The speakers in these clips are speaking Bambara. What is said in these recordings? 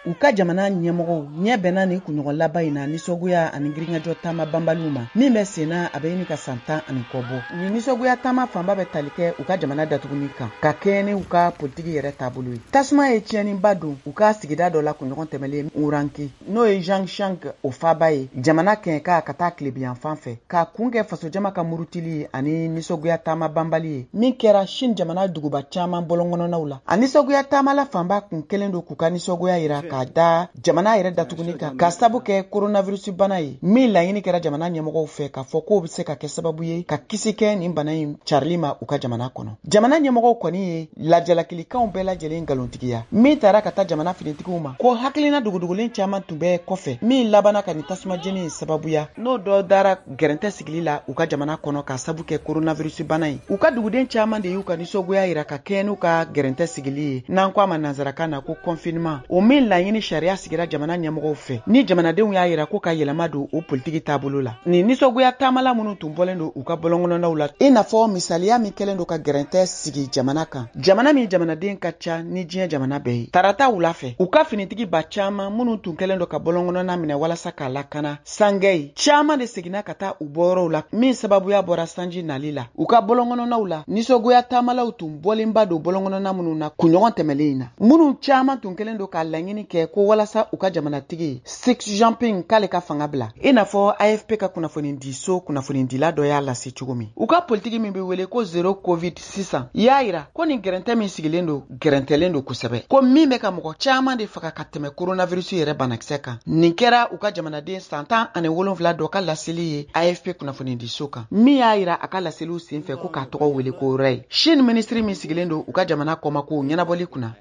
U ka jamana ɲɛmɔgɔw ɲɛ bɛnna nin kunɲɔgɔn laban in na nisɔngoya ani girinkajɔ taama banbaliw ma min bɛ senna, a bɛ ɲini ka san 10 ani kɔ bɔ. Nin nisɔngoya taama fanba bɛ tali kɛ u ka jamana datuguni kan ka kɛɲɛ ni u ka politiki yɛrɛ taabolo ye. Tasuma ye tiɲɛniba don u ka sigida dɔ la kunɲɔgɔn tɛmɛlen Uranki, n'o ye Zhangjiang o faaba ye, jamana kɛɲɛka ka taa tilebiyanfan fɛ, ka kun kɛ fasojama ka murutili ani nisɔngoya taama banbali ye min kɛra Chine jamana duguba caman bɔlɔnkɔnɔnaw la. A nisɔngoya taamala fanba kun kɛlen don k'u ka nisɔngoya yira k'a da jamana yɛrɛ datuguni kan ka sabu kɛ coronavirus bana ye, min laɲini kɛra jamana ɲɛmɔgɔw fɛ k'a fɔ k'o bɛ se ka kɛ sababu ye ka kisi kɛ nin bana in carili ma u ka jamana kɔnɔ. Jamana ɲɛmɔgɔw kɔni ye lajalakilikanw bɛɛ lajɛlen nkalontigiya min taara ka taa jamana finitigiw ma ko hakilina dogodogolen caman tun bɛ kɔfɛ min labanna ka nin tasuma jeni in sababuya, n'o dɔ dara gɛrɛntɛ sigili la u ka jamana kɔnɔ ka sabu kɛ coronavirus bana ye. U ka duguden caman de y'u ka nisɔngoya yira ka kɛɲɛ n'u ka gɛrɛntɛ sigili ye, n'an ko a ma nansarakan na ko confinement, o min laɲini sariya sigira jamana ɲɛmɔgɔw fɛ ni jamanadenw y'a yira ko ka yɛlɛma don o politiki taabolo la. Nin nisɔngoya taamala minnu tun bɔlen don u ka bɔlɔnkɔnɔnaw la, i n'a fɔ misaliya min kɛlen don ka gɛrɛntɛ sigi jamana kan, jamana min jamanaden ka ca ni diɲɛ jamana bɛɛ ye, tarata wula fɛ, u ka finitigi ba caman minnu tun kɛlen don ka bɔlɔnkɔnɔna minɛ walasa k'a lakana sangɛ, caman de seginna ka taa u bɔyɔrɔw la min sababuya bɔra sanji nali la u ka bɔlɔnkɔnɔnaw la. Nisɔngoya taamalaw tun bɔlenba don bɔlɔnkɔnɔna minnu na kunɲɔgɔn tɛmɛlen in na, minnu caman tun kɛlen don k'a laɲini kɛ ko walasa u ka jamanatigi Xi Jinping k'ale ka fanga bila, i n'a fɔ AFP ka kunnafonidiso kunnafonidila dɔ y'a lase cogo min. U ka politiki min bɛ wele ko zéro covid sisan y'a yira ko nin gɛrɛntɛ min sigilen don, gɛrɛntɛlen don kosɛbɛ, ko min bɛ ka mɔgɔ caman de faga ka tɛmɛ coronavirus yɛrɛ banakisɛ kan. Nin kɛra u ka jamanaden san 17 dɔ ka laseli ye AFP kunnafonidiso kan, min y'a yira a ka laseliw senfɛ ko k'a tɔgɔ wele ko Ray. Chine minisiri min sigilen don u ka jamana kɔmakow ɲɛnabɔli kunna,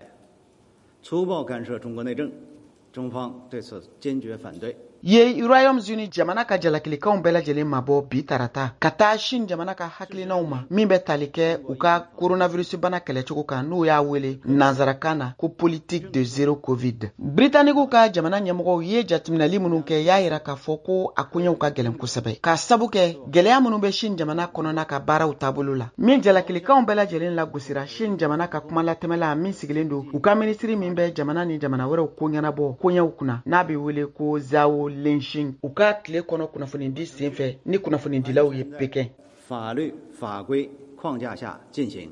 粗暴干涉中国内政，中方对此坚决反对。 ye Royaume-Uni jamana ka jalakilikanw bɛɛ lajɛlen mabɔ bi tarata ka taa Chine jamana ka hakilinaw ma min bɛ tali kɛ u ka coronavirus bana kɛlɛcogo kan, n'u y'a wele nansarakan na ko politique de zéro covid. Britanikiw ka jamana ɲɛmɔgɔw ye jateminɛli minnu kɛ y'a yira k'a fɔ ko a koɲɛw ka gɛlɛn kosɛbɛ k'a sabu kɛ gɛlɛya minnu bɛ Chine jamana kɔnɔna ka baaraw taabolo la, min jalakilikanw bɛɛ lajɛlen lagosira Chine jamana ka kumalatɛmɛla min sigilen don u ka minisiri min bɛ jamana ni jamana wɛrɛw ko ɲɛnabɔ koɲɛw kunna, n'a bɛ wele ko Zhao Lijian, u ka tile kɔnɔ kunnafonidi senfɛ ni kunnafonidilaw ye Pekin. 法律法规框架下进行。